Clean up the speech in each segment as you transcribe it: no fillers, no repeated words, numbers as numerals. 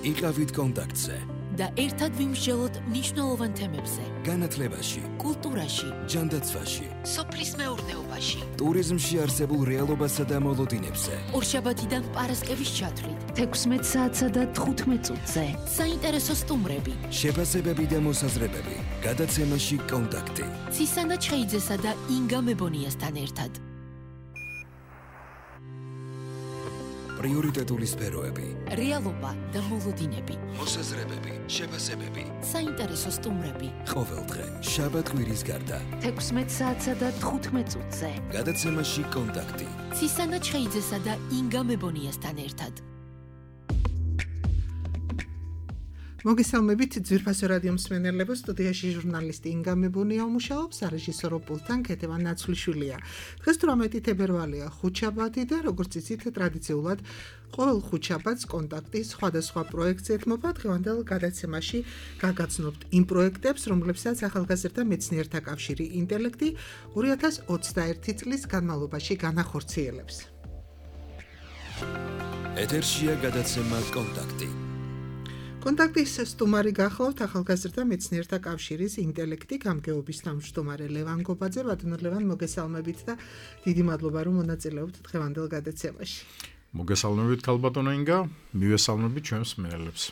იყავით კონტაქტზე და ერთად ვიმსჯელოთ მნიშვნელოვან თემებზე. განათლებაში, კულტურაში, ჯანდაცვაში, სოფლის მეურნეობაში, ტურიზმში არსებულ რეალობასა და მოლოდინებზე. ორშაბათიდან პარასკევის ჩათვლით 16 საათსა და 15 წუთზე. საინტერესო სტუმრები, შეფასებები და მოსაზრებები. გადაცემაში კონტაქტი. ცისანა ჩხეიძესა და ინგა მებონიასთან ერთად. პრიორიტეტული სფეროები. რეალობა და მოლოდინები. მოსაზრებები, შეფასებები. საინტერესო სტუმრები. ყოველდღე, შაბათ-კვირის გარდა. 16 საათსა და 15 წუთზე. გადაცემაში კონტაქტი. ცისანა ჩხეიძესა და ინგა მებონიასთან ერთად. მოგესალმებით ძვირფასო რადიო მსმენელებო, სტუდიაში ჟურნალისტი ინგა მებონია უმუშაობს, სარეჟისორო პულტთან ქეთევან ნაცვლიშვილია. დღეს 18 თებერვალია, ხუთშაბათი და როგორც იცით, ტრადიციულად ყოველ ხუთშაბათს კონტაქტი სხვადასხვა პროექტს ეთმობა. დღევანდელ გადაცემაში გაგაცნობთ იმ პროექტებს, რომლებსაც ახალგაზრდა მეცნიერთა კავშირი ინტელექტი 2021 წლის განმავლობაში განახორციელებს. ეთერშია გადაცემა კონტაქტი. კონტაქტის სტუმარი გახლავთ ახალგაზრდა მეცნიერთა კავშირის ინტელექტი გამგეობის თავმჯდომარე ლევან გობაძე. ბატონო ლევან, მოგესალმებით და დიდი მადლობა რომ მონაწილეობთ დღევანდელ გადაცემაში. მოგესალმებით ქალბატონო ინგა, მივესალმებით ჩვენს მსმენელებს.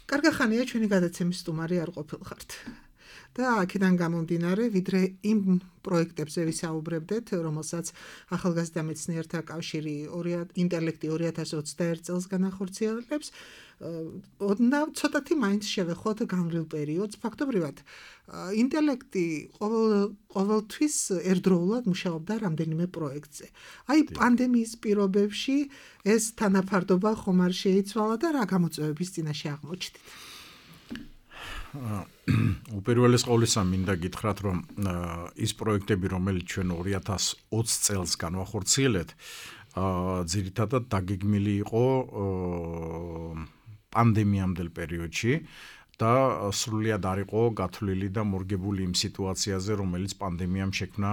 კარგი ხანია ჩვენი გადაცემის სტუმარი არ ყოფილხართ. და აქედან გამომდინარე, ვიდრე იმ პროექტებზე ვისაუბრებდეთ, რომელსაც ახალგაზრდა მეცნიერთა კავშირი ინტელექტი 2021 წელს განახორციელებს, ცოტათი მაინც შევეხოთ განვლილ პერიოდს. ფაქტობრივად, ინტელექტი ყოველთვის ერთდროულად მუშაობდა რამდენიმე პროექტზე. აი, პანდემიის პირობებში ეს თანაფარდობა ხომ არ შეიცვალა და რა გამოწვევების წინაშე აღმოჩნდით? უპირველეს ყოვლისა მინდა გითხრათ, რომ ის პროექტები, რომელიც ჩვენ 2020 წელს განვახორციელებთ, ძირითადად დაგეგმილი იყო პანდემიამდელ პერიოდში და სრულიად არ იყო გათვლილი და მორგებული იმ სიტუაციაზე, რომელიც პანდემიამ შექმნა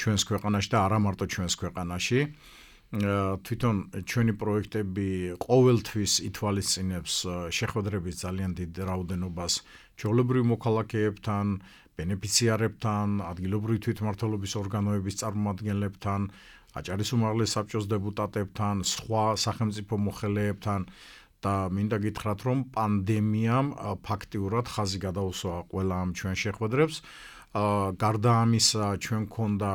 ჩვენს ქვეყანაში და არა მარტო ჩვენს ქვეყანაში. თვითონ ჩვენი პროექტები ყოველთვის ითვალისწინებს შეხვედრების ძალიან დიდ რაოდენობას ჩვეულებრივ მოქალაქეებთან, ბენეფიციარებთან, ადგილობრივი თვითმმართველობის ორგანოების წარმომადგენლებთან, აჭარის უმაღლეს საბჭოს დეპუტატებთან, სხვა სახელმწიფო მოხელეებთან და მინდა გითხრათ, რომ პანდემიამ ფაქტიურად ხაზი გადაუსვა ყველა ამ ჩვენ შეხვედრებს. გარდა ამისა, ჩვენ გქონდა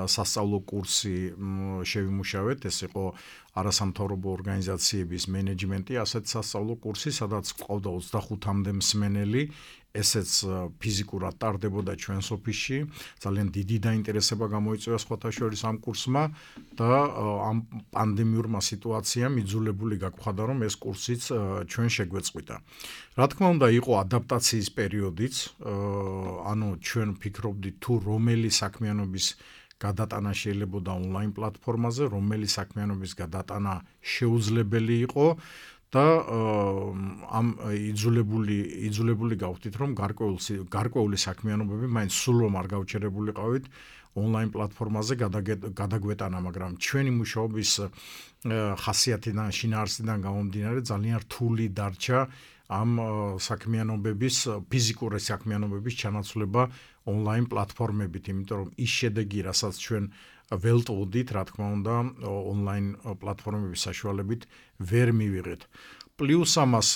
სასწავლო კურსი შევიმუშავეთ, ეს იყო არასამთავრობო ორგანიზაციების მენეჯმენტი, ასეთ სასწავლო კურსი, სადაც ყავდა 25-მდე მსმენელი, ესეც ფიზიკურად ტარდებოდა ჩვენს ოფისში. ძალიან დიდი დაინტერესება გამოიწვია სხვათა შორის ამ კურსმა და ამ პანდემიურმა სიტუაციამ იძულებული გაგვხადა, რომ ეს კურსიც ჩვენ შეგვეწყვიტა. რა თქმა უნდა, იყო ადაპტაციის პერიოდიც, ანუ ჩვენ ვფიქრობდით თუ რომელი საქმიანობის გადატანა შეიძლება ონლაინ პლატფორმაზე, რომელი საქმიანობის გადატანა შეუძლებელი იყო და ამ იძულებული გავხდით, რომ გარკვეული საქმიანობები მაინც სულ რომ არ გავჩერებულიყავით ონლაინ პლატფორმაზე გადაგვეტანა, მაგრამ ჩვენი მუშაობის ხასიათიდან, შინაარსიდან გამომდინარე ძალიან რთული დარჩა ამ საქმიანობების, ფიზიკური საქმიანობების ჩანაცვლება ონლაინ პლატფორმებით, იმიტომ რომ ის შედეგი, რასაც ჩვენ ველტვოდით, რა თქმა უნდა, ონლაინ პლატფორმების საშუალებით ვერ მივიღეთ. პლუს ამას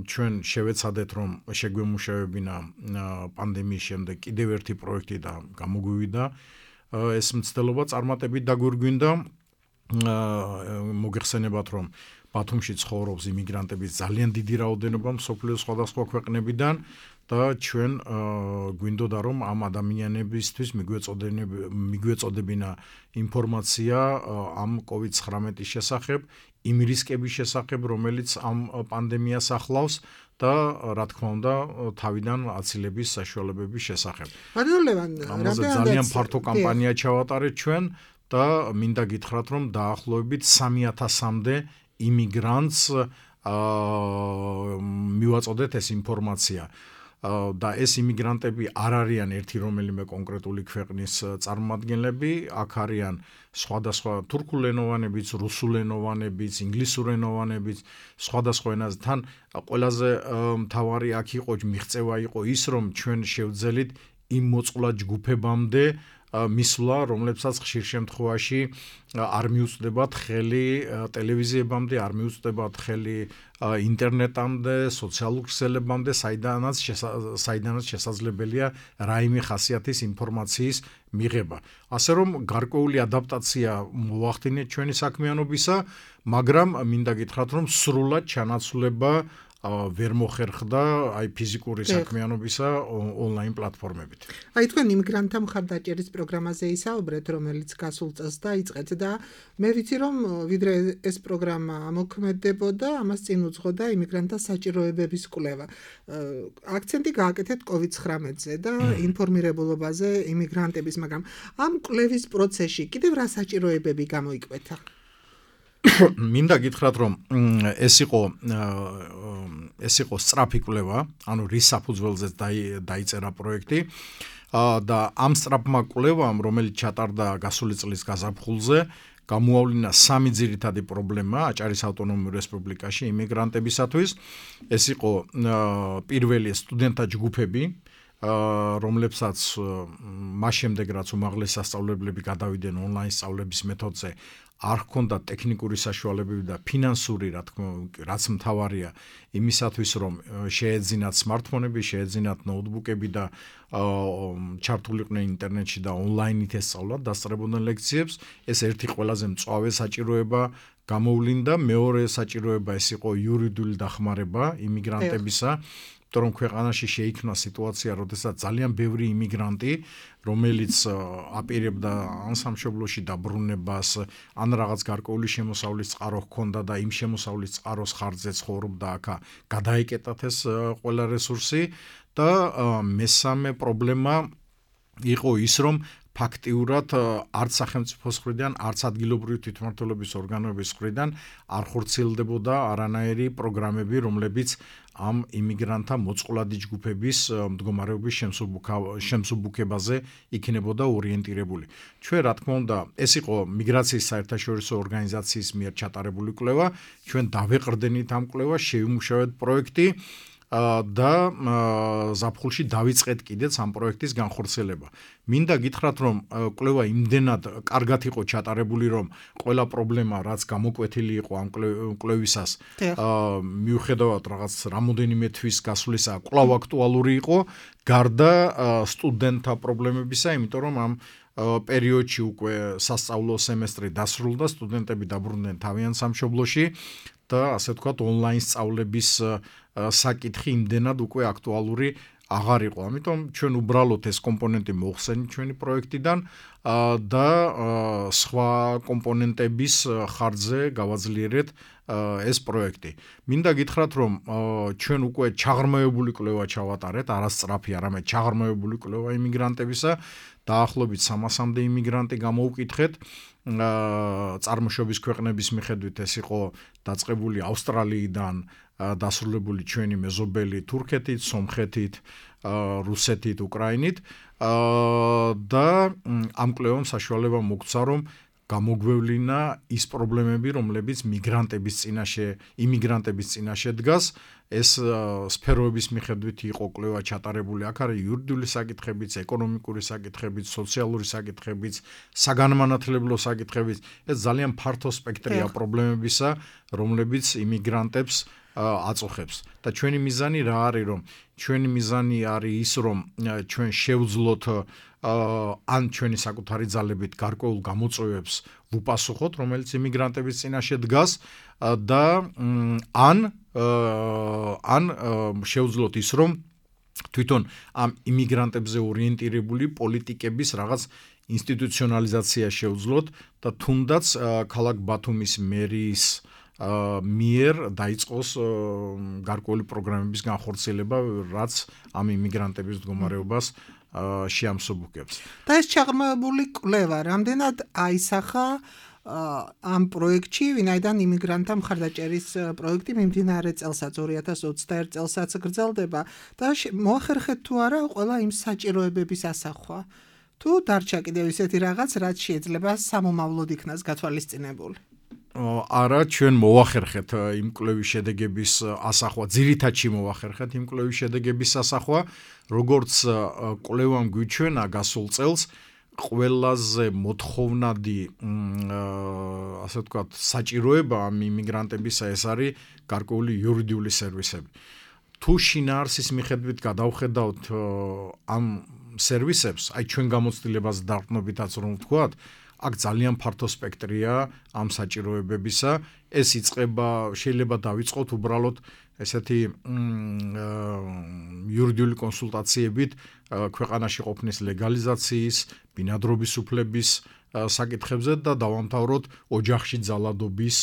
ჩვენ შევეცადეთ, რომ შეგვემუშავებინა პანდემიის შემდეგ კიდევ ერთი პროექტი და გამოგვივიდა ეს მცდელობა წარმატებით დაგვირგვინდა. მოგეხსენებათ, რომ ბათუმში ცხოვრობს იმიგრანტების ძალიან დიდი რაოდენობა მსოფლიოს სხვადასხვა ქვეყნებიდან და ჩვენ გვინდოდა, რომ ამ ადამიანებისთვის მიგვეწოდებინა ინფორმაცია ამ COVID-19 შესახებ, იმ რისკების შესახებ, რომელიც ამ პანდემიას ახლავს და რა თქმა უნდა, თავიდან აცილების საშუალებების შესახებ. ამაზე ძალიან ფართო კამპანია ჩავატარეთ ჩვენ და მინდა გითხრათ, რომ დაახლოებით 3000-მდე იმიგრანტს მივაწოდეთ ეს ინფორმაცია. და ეს იმიგრანტები არ არიან ერთი რომელიმე კონკრეტული ქვეყნის წარმომადგენლები, აქ არიან სხვადასხვა თურქულენოვანებიც, რუსულენოვანებიც, ინგლისურენოვანებიც, სხვადასხვა ენაზე. თან ყველაზე მთავარი აქ იყო მიღწევა იყო ის, რომ ჩვენ შევძელით იმ მოწყვლად ჯგუფებამდე მისვლა, რომლებსაც ხშირ შემთხვევაში არ მიუწვდებათ ხელი ტელევიზიებამდე, არ მიუწვდებათ ხელი ინტერნეტამდე, სოციალურ ქსელებამდე, საიდანაც შესაძლებელია რაიმე ხასიათის ინფორმაციის მიღება. ასე რომ გარკვეული ადაპტაცია მოახდინეთ ჩვენი საქმიანობისა, მაგრამ მინდა გითხრათ, რომ სრულად ჩანაცვლება ვერ მოხერხდა აი ფიზიკური საქმიანობისა ონლაინ პლატფორმებით. აი თქვენ იმიგრანტთა მხარდაჭერის პროგრამაზე ისაუბრეთ, რომელიც გასულ წელს დაიწყეთ და მე ვიცი რომ ვიდრე ეს პროგრამა ამოქმედებოდა, ამას წინ უძღოდა იმიგრანტთა საჭიროებების კვლევა. აქცენტი გააკეთეთ COVID-19-ზე და ინფორმირებულობაზე იმიგრანტების, მაგრამ ამ კვლევის პროცესში კიდევ რა საჭიროებები გამოიკვეთა? მინდა გითხრათ, რომ ეს იყო სწრაფი კვლევა, ანუ რის საფუძველზეც დაიწერა პროექტი და ამ სწრაფმა კვლევამ, რომელიც ჩატარდა გასული წლის გაზაფხულზე, გამოავლინა 3 ძირითადი პრობლემა აჭარის ავტონომიურ რესპუბლიკაში იმიგრანტებისათვის. ეს იყო პირველი სტუდენტთა ჯგუფები, რომლებსაც მას შემდეგ რაც უმაღლესი სასწავლებლები გადავიდნენ ონლაინ სწავლების მეთოდზე, არ ჰქონდათ ტექნიკური საშუალებები და ფინანსური, რაც მთავარია იმისათვის, რომ შეეძინათ სმარტფონები, შეეძინათ ნოუთბუქები და ჩართულიყვნენ ინტერნეტში და ონლაინით ესწავლათ დასწრებოდნენ ლექციებს. ეს ერთი ყველაზე მწვავე საჭიროება გამოვლინდა. მეორე საჭიროება ეს იყო იურიდიული დახმარება იმიგრანტებისა. რომ ქვეყანაში შეიქმნა სიტუაცია, როდესაც ძალიან ბევრი იმიგრანტი, რომელიც აპირებდა ან სამშობლოში დაბრუნებას, ან რაღაც გარკვეული შემოსავლის წყარო ჰქონდა და იმ შემოსავლის წყაროს ხარჯზე ცხოვრობდა აქა, გადაეკეტათ ეს ყველა რესურსი და მესამე პრობლემა იყო ის, რომ ფაქტიურად არც სახელმწიფოს მხრიდან, არც ადგილობრივი თვითმმართველობის ორგანოების მხრიდან არ ხორციელდებოდა არანაირი პროგრამები, რომლებიც ამ იმიგრანტთა მოწყვლადი ჯგუფების მდგომარეობის შემსუბუქებაზე იქნებოდა ორიენტირებული. ჩვენ რა თქმა უნდა, ეს იყო მიგრაციის საერთაშორისო ორგანიზაციის მიერ ჩატარებული კვლევა, ჩვენ დავეყრდენით ამ კვლევას, შევიმუშავეთ პროექტი და ზაფხულში დავიწყეთ კიდეც ამ პროექტის განხორციელება. მინდა გითხრათ, რომ კვლევა იმდენად კარგად იყო ჩატარებული, რომ ყველა პრობლემა, რაც გამოკვეთილი იყო ამ კვლევისას, მიუხედავად რაღაც რამოდენიმე თვის გასვლისა, კვლავ აქტუალური იყო, გარდა სტუდენტთა პრობლემებისა, იმიტომ რომ ამ პერიოდში უკვე სასწავლო სემესტრი დასრულდა, სტუდენტები დაბრუნდნენ თავიანთ სამშობლოში და ასე ვთქვათ, ონლაინ სწავლების საკითხი იმდენად უკვე აქტუალური აღარ იყო. ამიტომ ჩვენ უბრალოდ ეს კომპონენტი მოხსენით ჩვენი პროექტიდან და სხვა კომპონენტების ხარჯზე გავაძლიერეთ ეს პროექტი. მინდა გითხრათ, რომ ჩვენ უკვე ჩაღრმავებული კვლევა ჩავატარეთ, არა სწრაფი, არამედ ჩაღრმავებული კვლევა იმიგრანტებისა. დაახლოებით 300-მდე იმიგრანტი გამოვკითხეთ. წარმოშობის ქვეყნების მიხედვით ეს იყო დაწყებული ავსტრალიიდან, დასრულებული ჩვენი მეზობელი თურქეთით, სომხეთით, რუსეთით, უკრაინით და ამ კვლევამ საშუალება მოგცა, რომ გამოგვევლინა ის პრობლემები, რომლებიც იმიგრანტების წინაშე დგას. ეს სფეროების მიხედვით იყო კვლევა ჩატარებული. აქ არის იურიდიული საკითხებიც, ეკონომიკური საკითხებიც, სოციალური საკითხებიც, საგანმანათლებლო საკითხებიც. ეს ძალიან ფართო სპექტრია პრობლემებისა, რომლებიც იმიგრანტებს აწუხებს. და ჩვენი მიზანი რა არის, რომ ჩვენი მიზანი არის ის, რომ ჩვენ შევძლოთ ან ჩვენი საკუთარი ძალებით გარკვეულ გამოწვევებს ვუპასუხოთ, რომელიც იმიგრანტების წინაშე დგას და ან შევძლოთ ის, რომ თვითონ ამ იმიგრანტებზე ორიენტირებული პოლიტიკების რაღაც ინსტიტუციონალიზაცია შევძლოთ და თუნდაც ქალაქ ბათუმის მერის მიერ დაიწყოს გარკვეული პროგრამების განხორციელება, რაც ამ იმიგრანტების მდგომარეობას შეამსუბუქებს. და ეს ჩაღრმავებული კვლევა რამდენად აისახა ამ პროექტში, ვინაიდან იმიგრანტთა მხარდაჭერის პროექტი მიმდინარე წელსაც 2021 წელსაც გრძელდება და მოახერხეთ თუ არა ყველა იმ საჭიროებების ასახვა. თუ დარჩა კიდევ ისეთი რაღაც, რაც შეიძლება სამომავლოდ იქნას გათვალისწინებული. არა, ჩვენ მოვახერხეთ იმ კვლევის შედეგების ასახვა, ძირითადში მოვახერხეთ იმ კვლევის შედეგების ასახვა, როგორც კვლევამ გვიჩვენა გასულ წელს ყველაზე მოთხოვნადი ასე ვთქვათ საჭიროება ამ იმიგრანტებისა ეს არის გარკვეული იურიდიული სერვისები. თუ შინაარსის მიხედვით გადავხედავთ ამ სერვისებს, აი ჩვენ გამოცდილებას დარყნობითაც რომ ვთქვათ, აქ ძალიან ფართო სპექტრია ამ საჭიროებებისა. ეს იწყება, შეიძლება დავიწყოთ უბრალოდ ესეთი იურიდიული კონსულტაციებით ქვეყანაში ყოფნის ლეგალიზაციის, ბინადრობის უფლების საკითხებზე და დავამთავროთ ოჯახში ძალადობის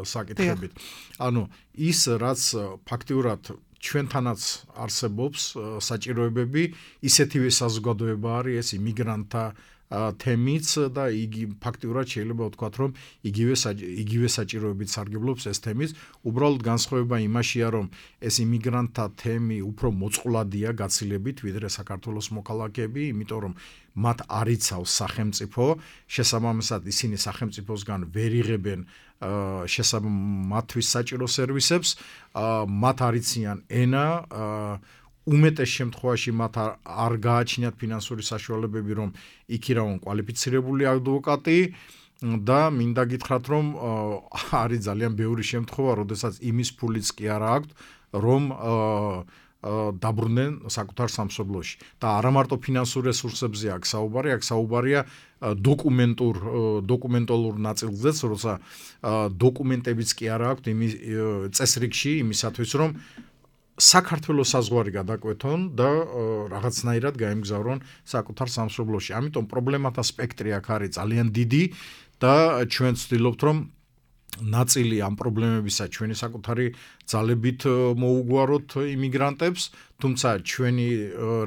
საკითხებით. ანუ ის რაც ფაქტიურად ჩვენთანაც არსებობს საჭიროებები, ისეთივე საზოგადოება არის ეს იმიგრანტთა თემიც და იგი ფაქტიურად შეიძლება ვთქვათ, რომ იგივე საჭიროებით სარგებლობს ეს თემის. უბრალოდ განსხვავება იმაშია, რომ ეს იმიგრანტთა თემი უფრო მოწყვლადია გაცილებით, ვიდრე საქართველოს მოქალაქეები, იმიტომ რომ მათ არ იცავს სახელმწიფო, შესაბამისად ისინი სახელმწიფოსგან ვერ იღებენ მათთვის საჭირო სერვისებს, მათ არ იციან ენა, უმეტეს შემთხვევაში მათ არ გააჩნიათ ფინანსური საშუალებები, რომ იქირავონ კვალიფიცირებული ადვოკატი და მინდა გითხრათ, რომ არის ძალიან ბევრი შემთხვევა, როდესაც იმის ფულიც კი არ აქვთ, რომ დაბრუნდნენ საკუთარ სამშობლოში. და არა მარტო ფინანსურ რესურსებზე აქ საუბარი, აქ საუბარია დოკუმენტალურ ნაწილზეც, როცა დოკუმენტებიც კი არ აქვთ იმის წესრიგში იმისათვის, რომ საქართველოს საზღვარი გადაკვეთონ და რაღაცნაირად გაემგზავრონ საკუთარ სამშობლოში. ამიტომ პრობლემათა სპექტრი აქ არის ძალიან დიდი და ჩვენ ვცდილობთ, რომ ნაწილი ამ პრობლემებისა ჩვენი საკუთარი ძალებით მოუგვაროთ იმიგრანტებს, თუმცა ჩვენი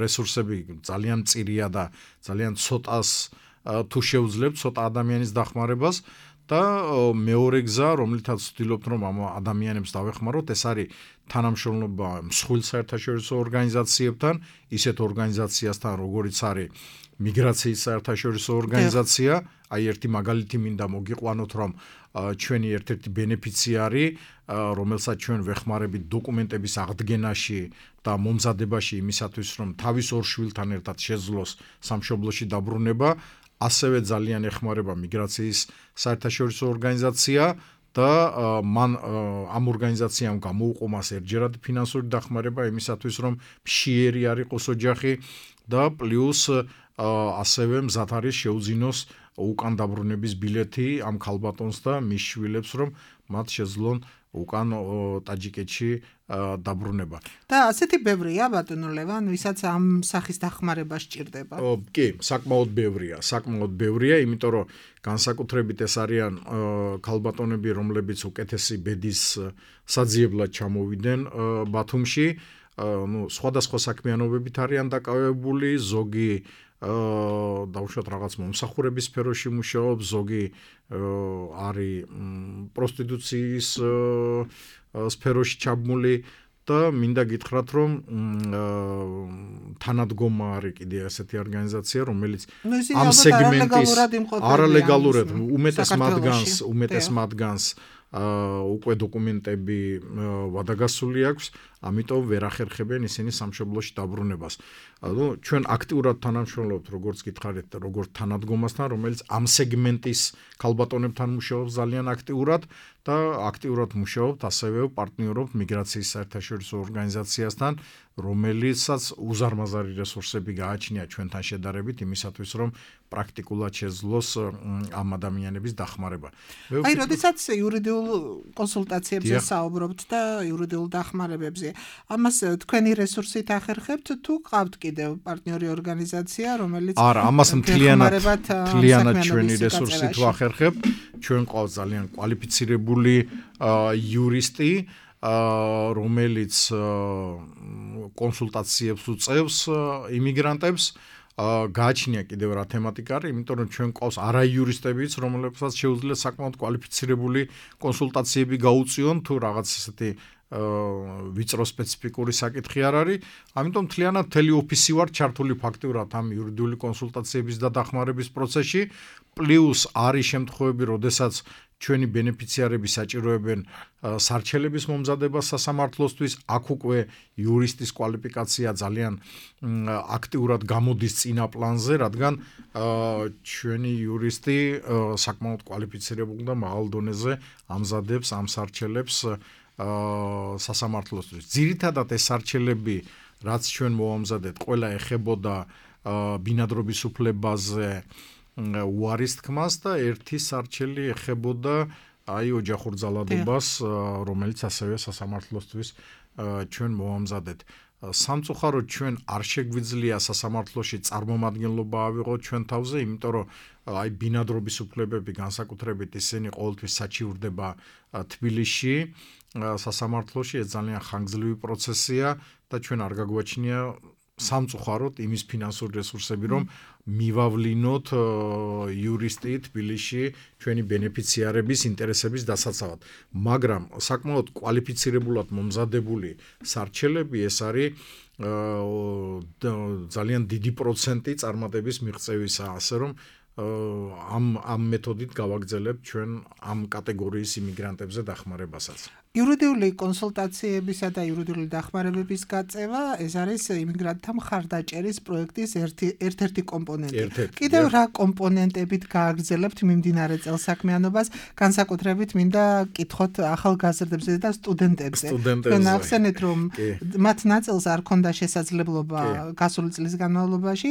რესურსები ძალიან მწირია და ძალიან ცოტას თუ შევძლებთ ცოტა ადამიანის დახმარებას და მეორე გზა, რომლითაც ვცდილობთ, რომ ამ ადამიანებს დავეხმაროთ, ეს არის თანამშრომლობა მსხვილ საერთაშორისო ორგანიზაციებთან, ისეთ ორგანიზაციასთან, როგორიც არის მიგრაციის საერთაშორისო ორგანიზაცია. აი ერთი მაგალითი მინდა მოგიყვანოთ, რომ ჩვენი ერთ-ერთი ბენეფიციარი, რომელსაც ჩვენ ვეხმარებით დოკუმენტების აღდგენაში და მომზადებაში იმისათვის, რომ თავის ორ შვილთან ერთად შეძლოს სამშობლოში დაბრუნება, ასევე ძალიან ეხმარება მიგრაციის საერთაშორისო ორგანიზაცია და მან ამ ორგანიზაციამ გამოუყო მას ერთჯერადი ფინანსური დახმარება იმისათვის, რომ მშიერი არ იყოს ოჯახი და პლუს ასევე მზად არის შეუძინოს უკან დაბრუნების ბილეთი ამ ქალბატონს და მის შვილებს, რომ მათ შეძლონ უკან ტაჯიკეთში დაბრუნება. და ასეთი ბევრია ბატონო ლევან, ვისაც ამ სახის დახმარება სჭირდება. კი, საკმაოდ ბევრია, იმიტომ რომ განსაკუთრებით ეს არიან ქალბატონები, რომლებიც უკეთესი ბედის საძიებლად ჩამოვიდნენ ბათუმში, სხვადასხვა საქმიანობებით არიან დაკავებული, ზოგი დაუშვათ რაღაც მომსახურების სფეროში მუშაობს, ზოგი არის პროსტიტუციის სფეროში ჩაბმული და მინდა გითხრათ, რომ თანადგომა არის კიდე ასეთი ორგანიზაცია, რომელიც ამ სეგმენტის არალეგალურად უმეტეს მათგანს უკვე დოკუმენტები ვადაგასული აქვს, ამიტომ ვერ ახერხებენ ისინი სამშობლოში დაბრუნებას. ჩვენ აქტიურად თანამშრომლობთ, როგორც გითხარით, როგორც თანადგომასთან, რომელიც ამ სეგმენტის ქალბატონებთან მუშაობს ძალიან აქტიურად და აქტიურად მუშაობთ, ასევე პარტნიორობთ მიგრაციის საერთაშორისო ორგანიზაციასთან, რომელიცაც უზარმაზარი რესურსები გააჩნია ჩვენთან შედარებით იმისათვის, რომ პრაქტიკულად შეძლოს ამ ადამიანების დახმარება. აი, როდესაც იურიდიულ კონსულტაციებზე საუბრობთ და იურიდიულ დახმარებებზე, ამას თქვენი რესურსით ახერხებთ თუ ყავთ კიდევ პარტნიორი ორგანიზაცია, რომელიც არა, ამას მთლიანად ჩვენი რესურსით ვახერხებთ. ჩვენ ყავს ძალიან კვალიფიცირებული იურისტი, რომელიც კონსულტაციებს უწევს იმიგრანტებს გააჩნია კიდევ რა თემატიკა არის, იმიტომ რომ ჩვენ ყავს არაიურისტებიც, რომლებსაც შეუძლია საკმაოდ კვალიფიცირებული კონსულტაციები გაუწიონ თუ რაღაც ესეთი ვიწრო სპეციფიკური საკითხი არ არის. ამიტომ მთლიანად მთელი ოფისი ვარ ჩართული ფაქტიურად ამ იურიდიული კონსულტაციების და დახმარების პროცესში, პლუს არის შემთხვევები, როდესაც ჩვენი ბენეფიციარები საჭიროებენ სარჩელების მომზადებას სასამართლოსთვის, აქ უკვე იურისტის კვალიფიკაცია ძალიან აქტიურად გამოდის წინა პლანზე, რადგან ჩვენი იურისტი საკმაოდ კვალიფიცირებული და მაღალ დონეზე ამზადებს ამ სარჩელებს სასამართლოსთვის. ძირითადად ეს სარჩელები, რაც ჩვენ მოვამზადეთ, ყველა ეხებოდა ბინადრობის უფლებაზე უარის თქმას და ერთი სარჩელი ეხებოდა ოჯახურ ძალადობას, რომელიც ასევე სასამართლოსთვის ჩვენ მოვამზადეთ. სამწუხაროდ ჩვენ არ შეგვიძლია სასამართლოში წარმომადგენლობა ავიღოთ ჩვენ თავზე, იმიტომ რომ ბინადრობის უფლებები განსაკუთრებით ისინი ყოველთვის საჩივრდება თბილისში სასამართლოში, ეს ძალიან ხანგრძლივი პროცესია და ჩვენ არ გაგვაჩნია სამწუხაროდ იმის ფინანსური რესურსები, რომ მივავლინოთ იურისტი თბილისში ჩვენი ბენეფიციარების ინტერესების დასაცავად. მაგრამ საკმაოდ კვალიფიცირებულად მომზადებული სარჩელები ეს არის ძალიან დიდი პროცენტი წარმატების მიღწევისა, ასე რომ ამ მეთოდით გავაგრძელებთ ჩვენ ამ კატეგორიის იმიგრანტებზე დახმარებასაც. იურიდიული კონსულტაციებისა და იურიდიული დახმარებების გაწევა ეს არის იმიგრანტთა მხარდაჭერის პროექტის ერთ-ერთი კომპონენტი. კიდევ რა კომპონენტებით გააგრძელებთ მიმდინარე წელსაქმიანობას, განსაკუთრებით მინდა კითხოთ ახალგაზრდებზე და სტუდენტებზე. თქვენ ახსენეთ, რომ მათ ნაწილს არ ქონდა შესაძლებლობა გასული წლის განმავლობაში,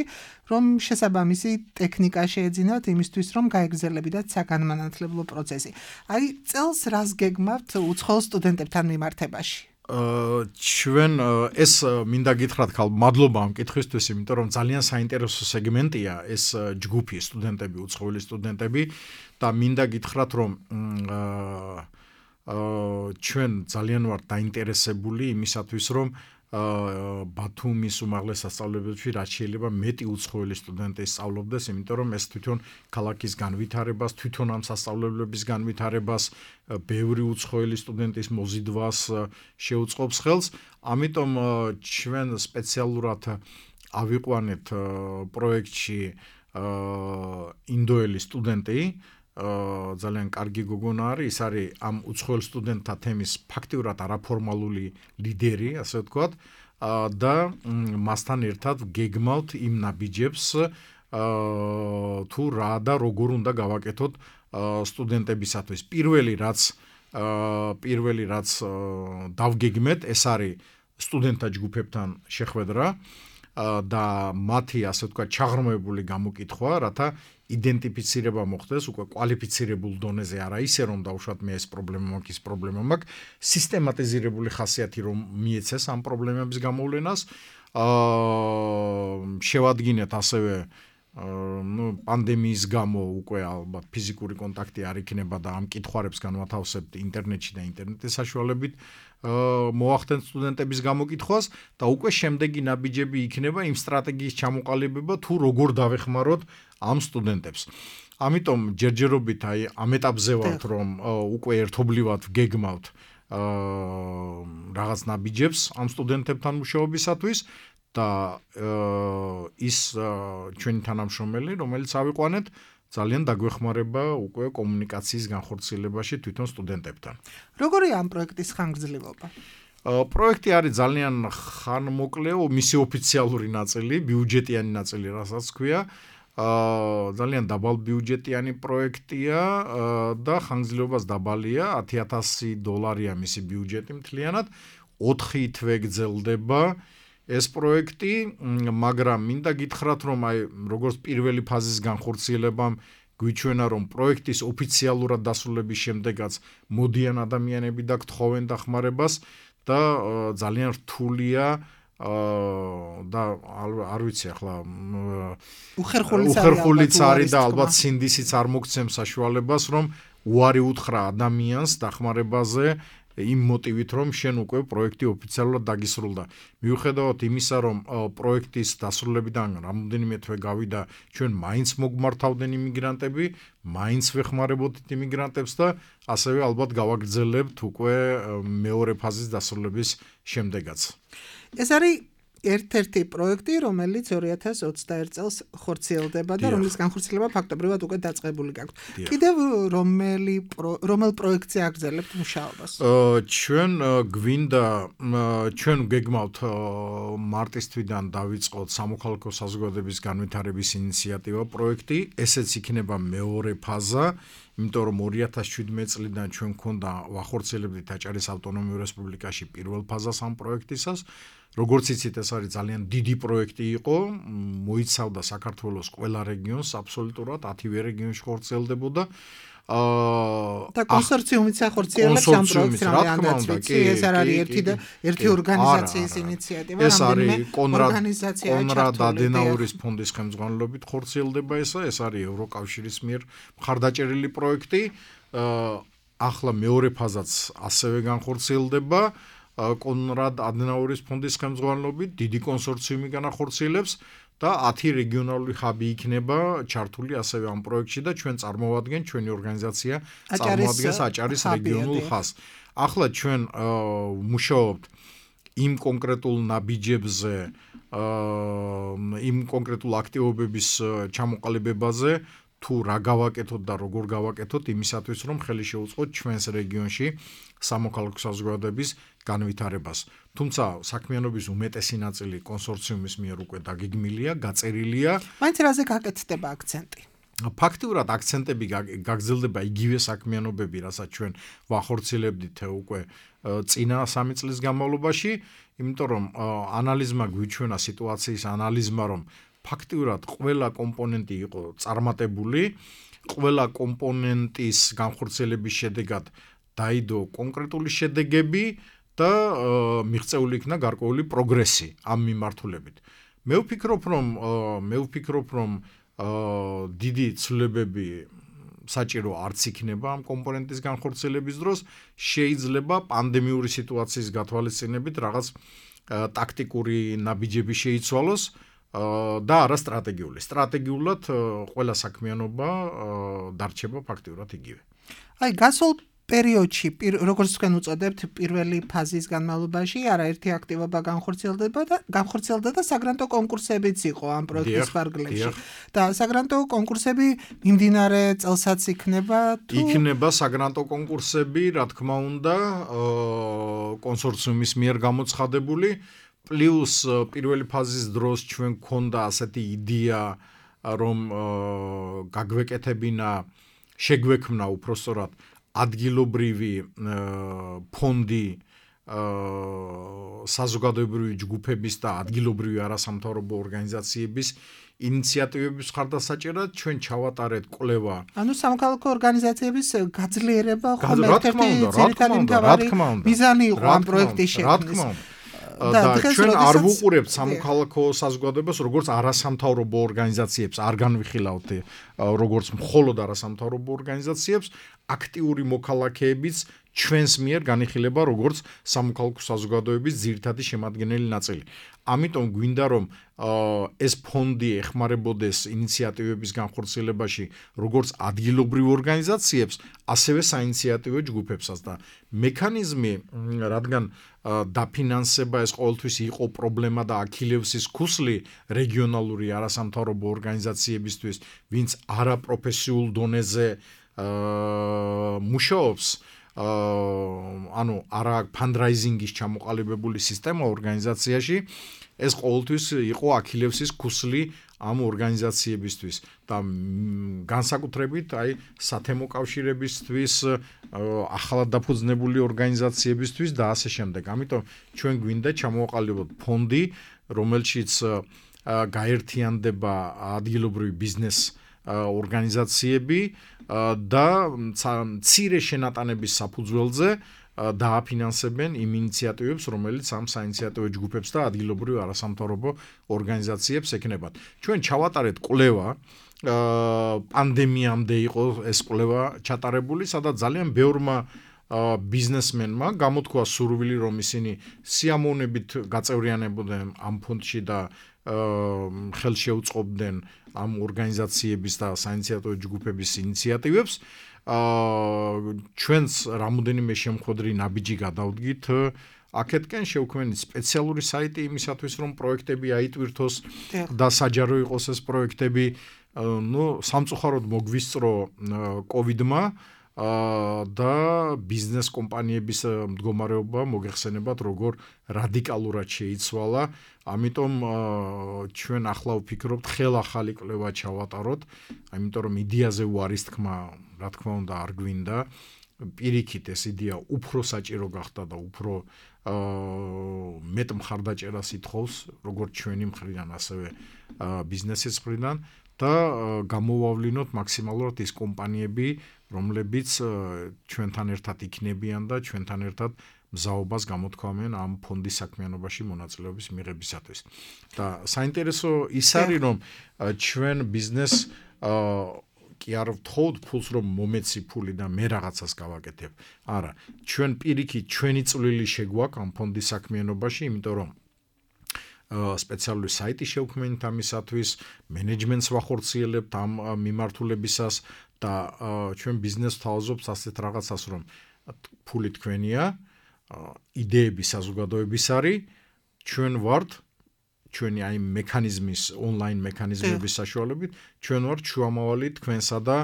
რომ შესაბამისი ტექნიკა შეეძინათ იმისთვის, რომ გაეგრძელებინათ საგანმანათლებლო პროცესი. აი, წელს რას გეგმავთ უცხოელ სტუდენტებთან მიმართებაში? ჩვენ ეს მინდა გითხრათ ხალ მადლობა ამ კითხვისთვის, იმიტომ რომ ძალიან საინტერესო სეგმენტია ეს ჯგუფი სტუდენტები, უცხოელი სტუდენტები და მინდა გითხრათ რომ ჩვენ ძალიან ვართ დაინტერესებული იმისათვის, რომ ბათუმის უმაღლეს სასწავლებელში რაც შეიძლება მეტი უცხოელი სტუდენტი სწავლობდეს, იმიტომ რომ ეს თვითონ ქალაქის განვითარებას, თვითონ ამ სასწავლებლების განვითარებას, ბევრი უცხოელი სტუდენტის მოზიდვას შეუწყობს ხელს. ამიტომ ჩვენ სპეციალურად ავიყვანეთ პროექტში ინდოელი სტუდენტი, ძალიან კარგი გოგონა არის, ის არის ამ უცხოელ სტუდენტთა თემის ფაქტიურად არაფორმალური ლიდერი, ასე ვთქვათ, და მასთან ერთად გეგმავთ იმ ნაბიჯებს, თუ რა და როგორ უნდა გავაკეთოთ სტუდენტებისათვის. პირველი რაც დავგეგმეთ, ეს არის სტუდენტთა ჯგუფებთან შეხვედრა და მათი, ასე ვთქვათ, ჩაღრმავებული გამოკითხვა, რათა იდენტიფიცირება მოხდეს უკვე კვალიფიცირებულ დონეზე, არა ისე რომ დავუშვათ მე ეს პრობლემა მაქვს, ის პრობლემა მაქვს, სისტემატიზირებული ხასიათი რომ მიეცეს ამ პრობლემების გამოვლენას. შევადგინეთ ასევე პანდემიის გამო უკვე ალბათ ფიზიკური კონტაქტი არ იქნება და ამ კითხვარებს განვათავსებთ ინტერნეტში და ინტერნეტის საშუალებით მოახდენთ სტუდენტების გამოკითხვას და უკვე შემდეგი ნაბიჯები იქნება იმ სტრატეგიის ჩამოყალიბება, თუ როგორ დავეხმაროთ ამ სტუდენტებს. ამიტომ ჯერჯერობით ამ ეტაპზე ვართ, რომ უკვე ერთობლივად გეგმავთ რაღაც ნაბიჯებს ამ სტუდენტებთან მუშაობისათვის და ის ჩვენი თანამშრომელი, რომელიც ავიყვანეთ, ძალიან დაგვეხმარება უკვე კომუნიკაციის განხორციელებაში თვითონ სტუდენტებთან. როგორია ამ პროექტის ხანგრძლივობა? პროექტი არის ძალიან ხანმოკლეო, მისი ოფიციალური ნაწილი, ბიუჯეტიანი ნაწილი, რასაც ქვია. ძალიან დაბალ ბიუჯეტიანი პროექტია და ხანგრძლივობას დაბალია, $10,000 მისი ბიუჯეტი მთლიანად, 4 თვე გრძელდება ეს პროექტი, მაგრამ მინდა გითხრათ, რომ როგორც პირველი ფაზის განხორციელებამ გვიჩვენა, რომ პროექტის ოფიციალურად დასრულების შემდეგაც მოდიან ადამიანები და გთხოვენ დახმარებას და ძალიან რთულია და არ ვიცი ახლა უხერხულიც არის და ალბათ სინდისიც არ მოგცემს საშუალებას, რომ უარი უთხრა ადამიანს დახმარებაზე იმ მოტივით, რომ შენ უკვე პროექტი ოფიციალურად დაგისრულდა. მიუხედავად იმისა, რომ პროექტის დასრულებიდან რამოდენიმე თვე გავიდა, ჩვენ მაინც მოგმართავდნენ იმიგრანტები, მაინც ვეხმარებოდით იმიგრანტებს და ასევე ალბათ გავაგრძელებთ უკვე მეორე ფაზის დასრულების შემდეგაც. ეს არის ერთ-ერთი პროექტი, რომელიც 2021 წელს ხორციელდება და რომლის განხორციელება ფაქტობრივად უკვე დაწყებული გაქვთ. კიდევ რომელ პროექტზე აგრძელებთ მუშაობას? ჩვენ გვინდა ჩვენ გეგმავთ მარტის თვიდან დავიწყოთ სამოქალაქო საზოგადოების განვითარების ინიციატივა პროექტი, ესეც იქნება მეორე ფაზა. იმიტომ რომ 2017 წლიდან ჩვენ გქონდა ვახორციელებდით აჭარის ავტონომიურ რესპუბლიკაში პირველ ფაზას ამ პროექტისას. როგორც იცით, ეს არის ძალიან დიდი პროექტი იყო, მოიცავდა საქართველოს ყველა რეგიონს, აბსოლუტურად 10-ვე რეგიონში ხორციელდებოდა. და კონსორციუმიც ახორციელებს ამ პროექტს, რამდენადაც ვიცი, ეს არ არის ერთი ორგანიზაციის ინიციატივა, ეს არის კონრად ადენაურის ფონდის ხელმძღვანელობით ხორციელდება ეს არის ევროკავშირის მიერ მხარდაჭერილი პროექტი. ახლა მეორე ფაზაც ასევე განხორციელდება კონრად ადენაურის ფონდის ხელმძღვანელობით, დიდი კონსორციუმი განახორციელებს და 10 რეგიონალური ჰაბი იქნება ჩართული ასევე ამ პროექტში და ჩვენ წარმოვადგენთ, ჩვენი ორგანიზაცია წარმოადგენს აჭარის რეგიონულ ხაზს. ახლა ჩვენ მუშაობთ იმ კონკრეტულ ნაბიჯებზე, იმ კონკრეტულ აქტივობების ჩამოყალიბებაზე, თუ რა გავაკეთოთ და როგორ გავაკეთოთ იმისათვის, რომ ხელი შეუწყოთ ჩვენს რეგიონში სამოქალაქო საზოგადოების განვითარებას. თუმცა საქმიანობის უმეტესი ნაწილი კონსორციუმის მიერ უკვე დაგეგმილია, გაწერილია. მაინც რაზე გაკეთდება აქცენტი? ფაქტიურად აქცენტები გაგრძელდება იგივე საქმიანობები, რასაც ჩვენ ვახორციელებდით უკვე წინა 3 წლის განმავლობაში, იმიტომ რომ ანალიზმა გვიჩვენა სიტუაციის ანალიზმა, რომ ფაქტიურად ყველა კომპონენტი იყო წარმატებული, ყველა კომპონენტის განხორციელების შედეგად დაიდო კონკრეტული შედეგები და მიღწეული იქნა გარკვეული პროგრესი ამ მიმართულებით. მე ვფიქრობ, რომ დიდი ცვლილებები საჭირო არც იქნება ამ კომპონენტის განხორციელების დროს, შეიძლება პანდემიური სიტუაციის გათვალისწინებით რაღაც ტაქტიკური ნაბიჯები შეიცვალოს და არა სტრატეგიული. სტრატეგიულად ყველა საქმიანობა დარჩება ფაქტიურად იგივე. აი, გასულ პერიოდში, როგორც თქვენ უწოდებთ, პირველი ფაზის განმავლობაში არაერთი აქტივობა განხორციელდა და საგრანტო კონკურსებიც იყო ამ პროექტის ფარგლებში. და საგრანტო კონკურსები მიმდინარე წელსაც იქნება თუ იქნება საგრანტო კონკურსები, რა თქმა უნდა, კონსორციუმის მიერ გამოცხადებული. პლუს პირველი ფაზის დროს ჩვენ გქონდა ასეთი იდეა, რომ გაგვეკეთებინა, შეგვექმნა უпростоრად ადგილობრივი ფონდი საზოგადოებრივი ჯგუფების და ადგილობრივი არასამთავრობო ორგანიზაციების ინიციატივების მხარდასაჭერად ჩვენ ჩავატარეთ კვლევა. ანუ სამოქალაქო ორგანიზაციების გაძლიერება ხომ ერთ-ერთი ძირითადი მთავარი მიზანი იყო ამ პროექტის შექმნის. და ჩვენ არ ვუყურებთ სამოქალაქო საზოგადოებას როგორც არასამთავრობო ორგანიზაციებს, არ განვიხილავთ როგორც მხოლოდ არასამთავრობო ორგანიზაციებს, აქტიური მოქალაქეებიც ჩვენს მიერ განიხილება როგორც სამოქალაქო საზოგადოების ძირითადი შემადგენელი ნაწილი. ამიტომ გვინდა რომ ეს ფონდი ეხმარებოდეს ინიციატივების განხორციელებაში როგორც ადგილობრივ ორგანიზაციებს, ასევე საინიციატივო ჯგუფებსაც და მექანიზმი, რადგან დაფინანსება ეს ყოველთვის იყო პრობლემა და აქილევსის ქუსლი რეგიონალური არასამთავრობო ორგანიზაციებისთვის, ვინც არაპროფესიულ დონეზე მუშაობს, ანუ არა ფანდრაიზინგის ჩამოყალიბებული სისტემა ორგანიზაციაში, ეს ყოველთვის იყო აქილევსის ქუსლი ამ ორგანიზაციებისთვის და განსაკუთრებით აი სათემო კავშირებისთვის, ახალად დაფუძნებული ორგანიზაციებისთვის და ასე შემდეგ. ამიტომ ჩვენ გვინდა ჩამოვაყალიბოთ ფონდი, რომელშიც გაერთიანდება ადგილობრივი ბიზნეს ორგანიზაციები და მცირე შენატანების საფუძველზე დააფინანსებენ იმ ინიციატივებს, რომელიც ამ საინიციატივო ჯგუფებს და ადგილობრივ არასამთავრობო ორგანიზაციებს ექნებათ. ჩვენ ჩავატარეთ კვლევა, პანდემიამდე იყო ეს კვლევა ჩატარებული, სადაც ძალიან ბევრმა ბიზნესმენმა გამოთქვა სურვილი, რომ ისინი სიამოვნებით გაწევრიანებოდნენ ამ ფონდში და ხელს შეუწყობდნენ ამ ორგანიზაციების და საინიციატივო ჯგუფების ინიციატივებს. ჩვენც რამოდენიმე შემხვედრი ნაბიჯი გადავდგით. აქეთკენ შევქმნით სპეციალური საიტი იმისათვის, რომ პროექტები აიტვირთოს და საჯარო იყოს ეს პროექტები. სამწუხაროდ მოგვისწრო კოვიდმა და ბიზნეს კომპანიების მდგომარეობა მოგეხსენებათ, როგორ რადიკალურად შეიცვალა. ამიტომ ჩვენ ახლა ვფიქრობთ, ხელახალი კვლევა ჩავატაროთ, ამიტომ რომ იდეაზე უარის თქმა, რა თქმა უნდა, არ გვინდა. პირიქით ეს იდეა უფრო საჭირო გახდა და უფრო მეტ მხარდაჭერას ითხოვს, როგორც ჩვენი მხრიდან, ასევე ბიზნესის მხრიდან და გამოვავლინოთ მაქსიმალურად ის კომპანიები, რომლებიც ჩვენთან ერთად იქნებიან და ჩვენთან ერთად მზაობას გამოთქვამენ ამ ფონდის საქმიანობაში მონაწილეობის მიღებისათვის. და საინტერესო ის არის, რომ ჩვენ ბიზნეს კი არ ვთხოვთ ფულს, რომ მომეცი ფული და მე რაღაცას გავაკეთებ. არა, ჩვენ პირიქით ჩვენი წვლილი შეგვაქვს ამ ფონდის საქმიანობაში, იმიტომ რომ სპეციალური საიტი შევქმნით ამისათვის, მენეჯმენტს ვახორციელებთ ამ მიმართულებისას და ჩვენ ბიზნესს ვთავაზობთ ასეთ რაღაცას, რომ ფული თქვენია, იდეები საზოგადოების არის, ჩვენ ვართ ჩვენი აი მექანიზმის ონლაინ მექანიზმების საშუალებით ჩვენ ვართ შუამავალი თქვენსა და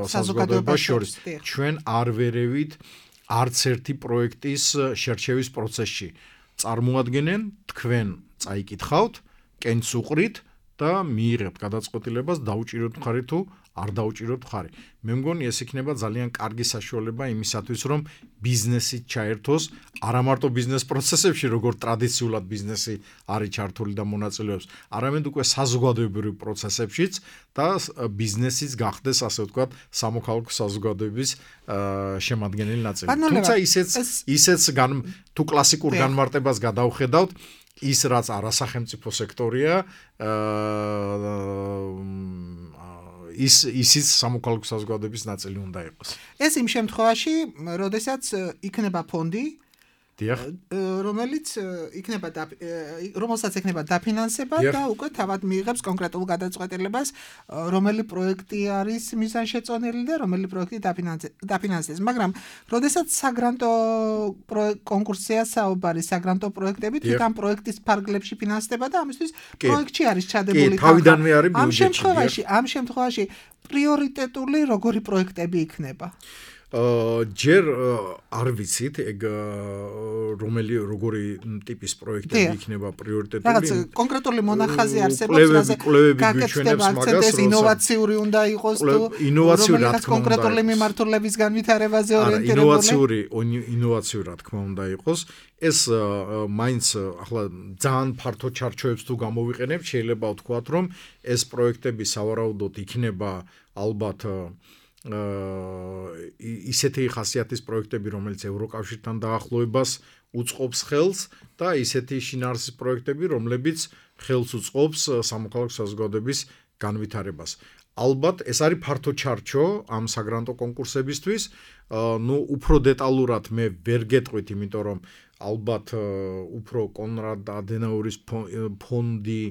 საზოგადოებას შორის. ჩვენ არ ვერევით არც ერთი პროექტის შერჩევის პროცესში. წარმოადგენენ თქვენ წაიკითხავთ, კენც უყრით და მიიღებთ გადაწყვეტილებას დაუჭიროთ მხარი თუ არ დაუჭიროთ მხარი. მე მგონი ეს იქნება ძალიან კარგი საშუალება იმისათვის, რომ ბიზნესი ჩაერთოს არა მარტო ბიზნეს პროცესებში, როგორც ტრადიციულად ბიზნესი არის ჩართული და მონაწილეობს, არამედ უკვე საზოგადოებრივ პროცესებშიც და ბიზნესიც გახდეს, ასე ვთქვათ, სამოქალაქო საზოგადოების შემადგენელი ნაწილი. თუმცა ისეც თუ კლასიკურ განმარტებას გადავხედავთ, ის რაც არასახელმწიფო სექტორია, ისიც სამოქალაქო საზოგადოების ნაწილი უნდა იყოს. ეს იმ შემთხვევაში, როდესაც იქნება ფონდი, რომელსაც ექნება დაფინანსება და უკვე თავად მიიღებს კონკრეტულ გადაწყვეტილებას, რომელი პროექტი არის მიზანშეწონილი და რომელი პროექტი დაფინანსდეს. მაგრამ როდესაც საგრანტო კონკურსია საუბარი, საგრანტო პროექტები თვითონ პროექტის ფარგლებში ფინანსდება და ამისთვის პროექტში არის ჩადებული თავიდანვე არის ბიუჯეტში. ამ შემთხვევაში პრიორიტეტული როგორი პროექტები იქნება? ჯერ არ ვიცით ეგ როგორი ტიპის პროექტები იქნება პრიორიტეტული. რაღაც კონკრეტული მონახაზი არსებობს, გაკეთდება აქცენტი ინოვაციური უნდა იყოს თუ ინოვაციური რა თქმა უნდა კონკრეტული მიმართულების განვითარებაზე ორიენტირებული. ინოვაციური რა თქმა უნდა იყოს. ეს მაინც ახლა ძალიან ფართო ჩარჩოებს თუ გამოვიყენებთ, შეიძლება ვთქვათ, რომ ეს პროექტები სავარაუდოდ იქნება ალბათ ისეთი ხასიათის პროექტები, რომელიც ევროკავშირთან დაახლოებას უწყობს ხელს და ისეთი შინაარსის პროექტები, რომლებიც ხელს უწყობს სამოქალაქო საზოგადოების განვითარებას. ალბათ ეს არის ფართო ჩარჩო ამ საგრანტო კონკურსებისთვის. უფრო დეტალურად მე ვერ გეტყვით, იმიტომ რომ ალბათ უფრო კონრად ადენაურის ფონდი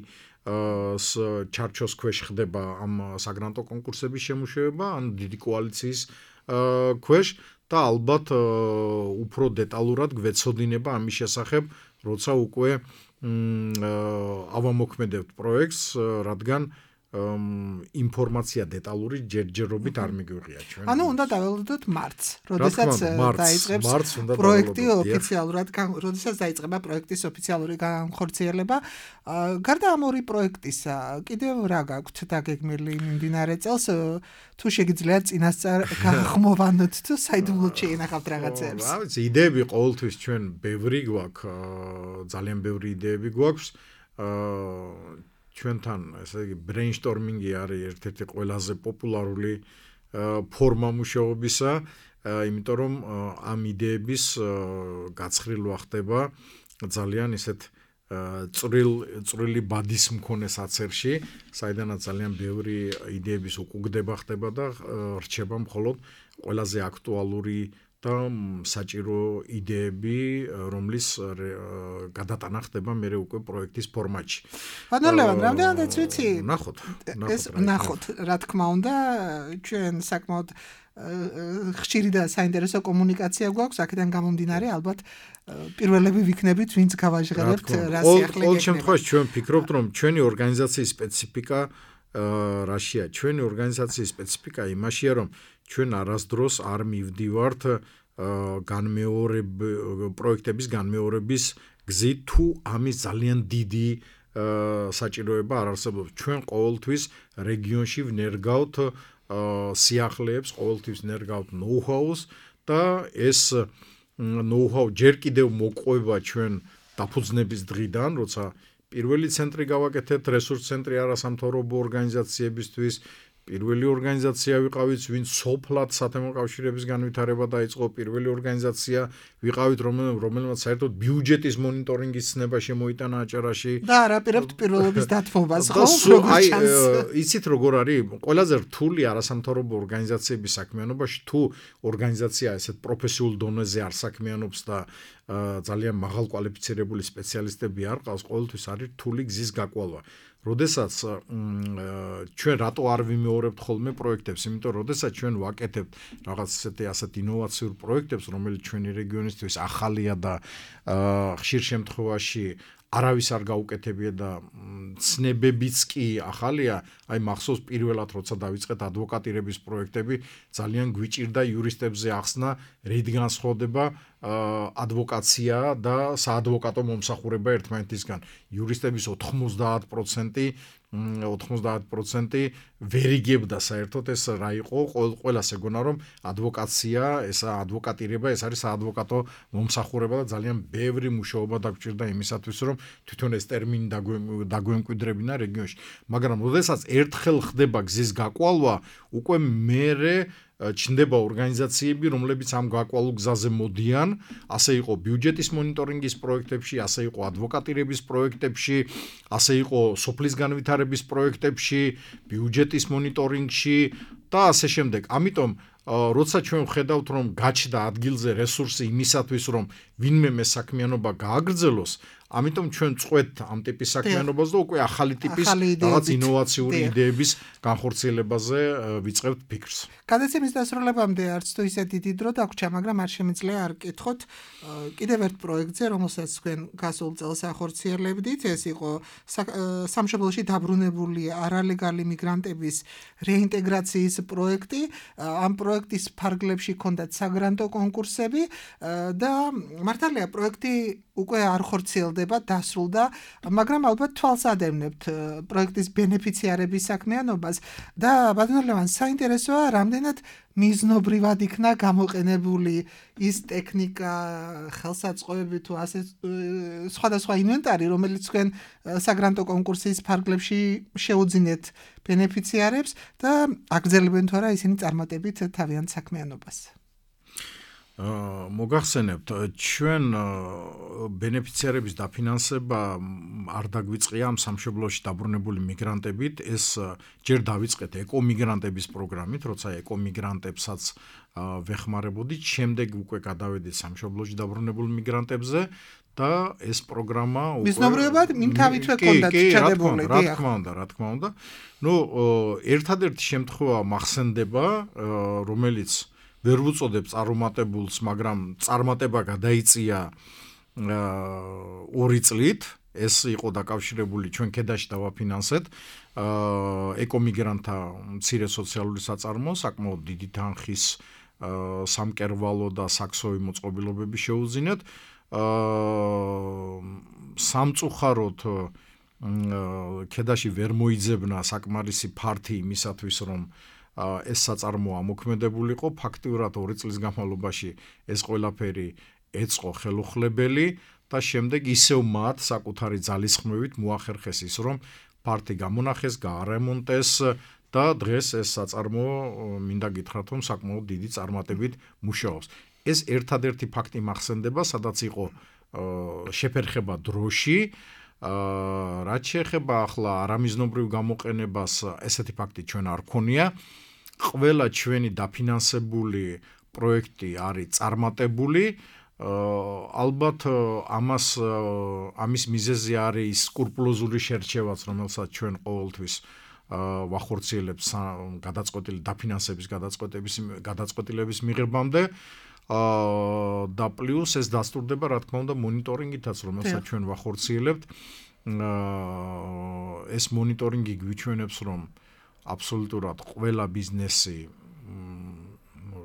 ჩარჩოს ქვეშ ხდება ამ საგრანტო კონკურსების შემუშავება, ან დიდი კოალიციის ქვეშ და ალბათ უფრო დეტალურად გვეცოდინება ამის შესახებ, როცა უკვე ავამოქმედებთ პროექტს, რადგან ინფორმაცია დეტალური ჯერჯერობით არ მიგვიღია ჩვენ. ანუ უნდა დაველოდოთ მარტს, როდესაც დაიწყებს პროექტი ოფიციალურად, როდესაც დაიწყება პროექტის ოფიციალური განხორციელება. გარდა ამ ორი პროექტისა, კიდევ რა გაქვთ დაგეგმილი მიმდინარე წელს, თუ შეგიძლიათ წინასწარ გახმოვანოთ თუ საიდუმლოდ შეინახავთ რაღაცებს? რა ვიცი, იდეები ყოველთვის ჩვენ ბევრი გვაქვს, ძალიან ბევრი იდეები გვაქვს. ჩვენთან ესე იგი ბრეინშტორმინგი არის ერთ-ერთი ყველაზე პოპულარული ფორმა მუშაობისა, იმიტომ რომ ამ იდეების გაცხრილვა ხდება ძალიან ისეთ წვრილი ბადის მქონე საცერში, საიდანაც ძალიან ბევრი იდეების უკუგდება ხდება და რჩება მხოლოდ ყველაზე აქტუალური და საჭირო იდეები, რომლის გადატანა ხდება მე უკვე პროექტის ფორმატში. ბატონო ლევან, რამდენადაც ვიცი? ნახოთ, რა თქმა უნდა, ჩვენ საკმაოდ ხშირი და საინტერესო კომუნიკაცია გვაქვს, აქედან გამომდინარე, ალბათ პირველები ვიქნებით, ვინც გავაჟღერებთ რა სიახლე. ყოველ შემთხვევაში ჩვენ ვფიქრობთ, რომ ჩვენი ორგანიზაციის სპეციფიკა რაშია? ჩვენი ორგანიზაციის სპეციფიკა იმაშია, რომ ჩვენ არასდროს არ მივდივართ პროექტების განმეორების გზით, თუ ამის ძალიან დიდი საჭიროება არ არსებობს. ჩვენ ყოველთვის რეგიონში ვნერგავთ სიახლეებს, ყოველთვის ვნერგავთ ნოუ-ჰაუს და ეს ნოუ-ჰაუ ჯერ კიდევ მოყვება ჩვენ დაფუძნების დღიდან, როცა პირველი ცენტრი გავაკეთეთ, რესურს ცენტრი არასამთავრობო ორგანიზაციებისთვის, პირველი ორგანიზაცია ვიყავით, ვინც სოფლად სათემო კავშირების განვითარება დაიწყო, პირველი ორგანიზაცია ვიყავით, რომელმაც საერთოდ ბიუჯეტის მონიტორინგის ცნება შემოიტანა აჭარაში. და არაპირებთ პირველობის დათმობას, ხო? როგორც ჩანს. იცით როგორ არის? ყველაზე რთული არასამთავრობო ორგანიზაციების საქმიანობაში, თუ ორგანიზაცია ესეთ პროფესიულ დონეზე არ საქმიანობს და ძალიან მაღალ კვალიფიცირებული სპეციალისტები არ ყავს, ყოველთვის არის რთული გზის გაკვალვა. როდესაც ჩვენ რატო არ ვიმეორებთ ხოლმე პროექტებს, იმიტომ რომ როდესაც ჩვენ ვაკეთებთ რაღაც ასეთ ინოვაციურ პროექტებს, რომელიც ჩვენი რეგიონისთვის ახალია და ხშირ შემთხვევაში არავის არ გაუკეთებია და ცნებებიც კი ახალია, აი მახსოვს პირველად როცა დავიწყეთ ადვოკატირების პროექტები, ძალიან გვიჭირდა იურისტებზე ახსნა, რით განსხვავდება ადვოკაცია და საადვოკატო მომსახურება ერთმანეთისგან. იურისტების 90% ვერ იგებდა საერთოდ ეს რა იყო, ყველას ეგონა რომ ადვოკაცია, ესა ადვოკატირება, ეს არის საადვოკატო მომსახურება და ძალიან ბევრი მუშაობა დაგჭირდა იმისათვის, რომ თვითონ ეს ტერმინი დაგვემკვიდრებინა რეგიონში. მაგრამ როდესაც ერთხელ ხდება გზის გაკვალვა, უკვე მერე ჩნდება ორგანიზაციები, რომლებიც ამ გაკვალულ გზაზე მოდიან, ასე იყო ბიუჯეტის მონიტორინგის პროექტებში, ასე იყო ადვოკატირების პროექტებში, ასე იყო სოფლის განვითარების პროექტებში, ბიუჯეტის მონიტორინგში და ასე შემდეგ. ამიტომ როცა ჩვენ ვხედავთ, რომ გაჩნდა ადგილზე რესურსი იმისათვის, რომ ვინმე საქმიანობა გააგრძელოს, ამიტომ ჩვენ წყვეთ ამ ტიპის საქმიანობას და უკვე ახალი ტიპის რაღაც ინოვაციური იდეების განხორციელებაზე ვიწყებთ ფიქრს. გადაცემის დასრულებამდე არც თუ ისე დიდი დრო დაგვრჩა, მაგრამ არ შემიძლია არ გკითხოთ კიდევ ერთ პროექტზე, რომელსაც თქვენ გასულ წელს ახორციელებდით. ეს იყო სამშობლოში დაბრუნებული არალეგალი მიგრანტების რეინტეგრაციის პროექტი. ამ პროექტის ფარგლებში ჰქონდათ საგრანტო კონკურსები და მართალია პროექტი უკვე არ ხორციელდება, დასრულდა, მაგრამ ალბათ თვალს ადევნებთ პროექტის ბენეფიციარების საქმიანობას და ბატონო ლევან, საინტერესოა, რამდენად მიზნობრივად იქნა გამოყენებული ის ტექნიკა, ხელსაწყოები თუ ასე სხვადასხვა ინვენტარი, რომელიც თქვენ საგრანტო კონკურსის ფარგლებში შეუძინეთ ბენეფიციარებს და აგრძელებენ თუ არა ისინი წარმატებით თავიანთ საქმიანობას. მოგახსენებთ, ჩვენ ბენეფიციარების დაფინანსება არ დაგვიწყია ამ სამშობლოში დაბრუნებული მიგრანტებით, ეს ჯერ დავიწყეთ ეკომიგრანტების პროგრამით, როცა ეკომიგრანტებსაც ვეხმარებოდით, შემდეგ უკვე გადავედით სამშობლოში დაბრუნებულ მიგრანტებზე და ეს პროგრამა უკვე მიზნობრივად იმთავითვე ჰქონდათ ჩადებული. რა თქმა უნდა. ერთადერთი შემთხვევა მახსენდება, რომელიც ვერ ვუწოდებ წარუმატებულს, მაგრამ წარმატება გადაიწია 2 წლით. ეს იყო დაკავშირებული, ჩვენ ქედაში დავაფინანსეთ ეკომიგრანტთა მცირე სოციალური საწარმო, საკმაოდ დიდი თანხის სამკერვალო და საქსოვი მოწყობილობები შეუძინეთ. სამწუხაროდ ქედაში ვერ მოიძებნა საკმარისი ფართი იმისათვის, რომ ეს საწარმო ამოქმედებულიყო. ფაქტიურად 2 წლის განმავლობაში ეს ყველაფერი ეწყო ხელუხლებელი და შემდეგ ისევ მათ საკუთარი ძალისხმევით მოახერხეს ის, რომ ფართი გამონახეს, გაარემონტეს და დღეს ეს საწარმო მინდა გითხრათ, რომ საკმაოდ დიდი წარმატებით მუშაობს. ეს ერთადერთი ფაქტი მახსენდება, სადაც იყო შეფერხება დროში. რაც შეეხება ახლა არამიზნობრივ გამოყენებას, ესეთი ფაქტი ჩვენ არ გქონია. ყველა ჩვენი დაფინანსებული პროექტი არის წარმატებული, ალბათ ამის მიზეზი არის სკრუპულოზული შერჩევაც, რომელსაც ჩვენ ყოველთვის ვახორციელებთ გადაწყვეტილი დაფინანსების გადაწყვეტილების მიღებამდე და პლუს ეს დასტურდება რა თქმა უნდა მონიტორინგითაც, რომელსაც ჩვენ ვახორციელებთ. ეს მონიტორინგი გვიჩვენებს, რომ აბსოლუტურად ყველა ბიზნესი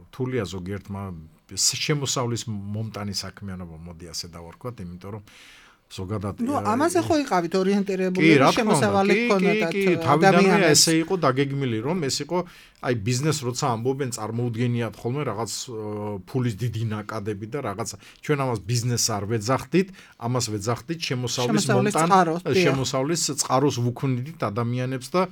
რთულია ზოგიერთმა შემოსავლის მომტანი საქმიანობა მოდი ასე დავარქვათ, იმიტომ რომ ზოგადად ამაზე ხო იყავით ორიენტირებული შემოსავალი გქონდათ ადამიანებს. ესე იყო დაგეგმილი, რომ ეს იყო აი ბიზნეს როცა ამბობენ წარმოუდგენიათ ხოლმე რაღაც ფულის დიდი ნაკადები და რაღაც ჩვენ ამას ბიზნესს არ ვეძახდით, ამას ვეძახდით შემოსავლის წყაროს ვუქმნით ადამიანებს და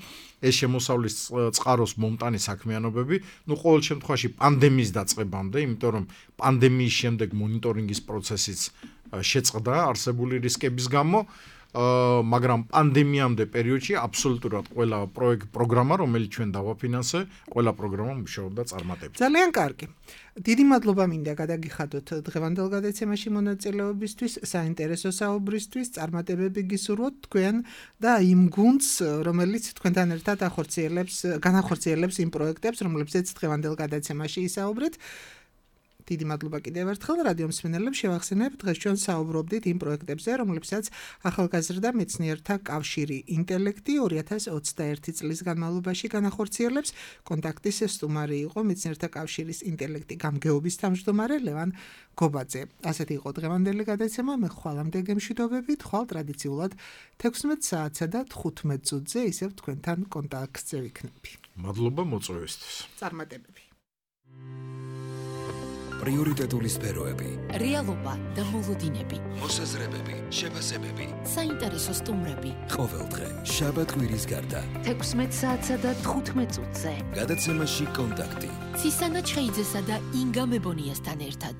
ეს შემოსავლის წყაროს მომტანი საქმიანობები, ყოველ შემთხვევაში პანდემიის დაწყებამდე, იმიტომ რომ პანდემიის შემდეგ მონიტორინგის პროცესიც შეწყდა არსებული რისკების გამო, მაგრამ პანდემიამდე პერიოდში აბსოლუტურად ყველა პროგრამა, რომელიც ჩვენ დავაფინანსე, ყველა პროგრამა მუშაობდა წარმატებით. ძალიან კარგი. დიდი მადლობა მინდა გადაგიხადოთ დღევანდელ გადაცემაში მონაწილეობისთვის, საინტერესო საუბრისთვის, წარმატებები გისურვოთ თქვენ და იმ გუნდს, რომელიც თქვენთან ერთად განახორციელებს იმ პროექტებს, რომლებზეც დღევანდელ გადაცემაში ისაუბრეთ. დიდი მადლობა კიდევ ერთხელ რადიო მსმენელებს შევახსენებთ, დღეს ჩვენ საუბრობდით იმ პროექტებზე, რომლებსაც ახალგაზრდა მეცნიერთა კავშირი ინტელექტი 2021 წლის განმავლობაში განახორციელებს. კონტაქტის სტუმარი იყო მეცნიერთა კავშირის ინტელექტი გამგეობის თავმჯდომარე ლევან გობაძე. ასეთი იყო დღევანდელი გადაცემა, მე ხვალამდე გემშვიდობებით, ხვალ ტრადიციულად 16 საათსა და 15 წუთზე ისევ თქვენთან კონტაქტზე ვიქნები. მადლობა მოწვევისთვის. წარმატებები. პრიორიტეტული სფეროები, რეალობა და მოლოდინები, მოსაზრებები, შეფასებები, საინტერესო სტუმრები. ყოველდღე შაბათ-კვირის გარდა 16 საათსა და 15 წუთზე. გადაცემაში კონტაქტი. ცისანა ჩხეიძესა და ინგა მებონიასთან ერთად.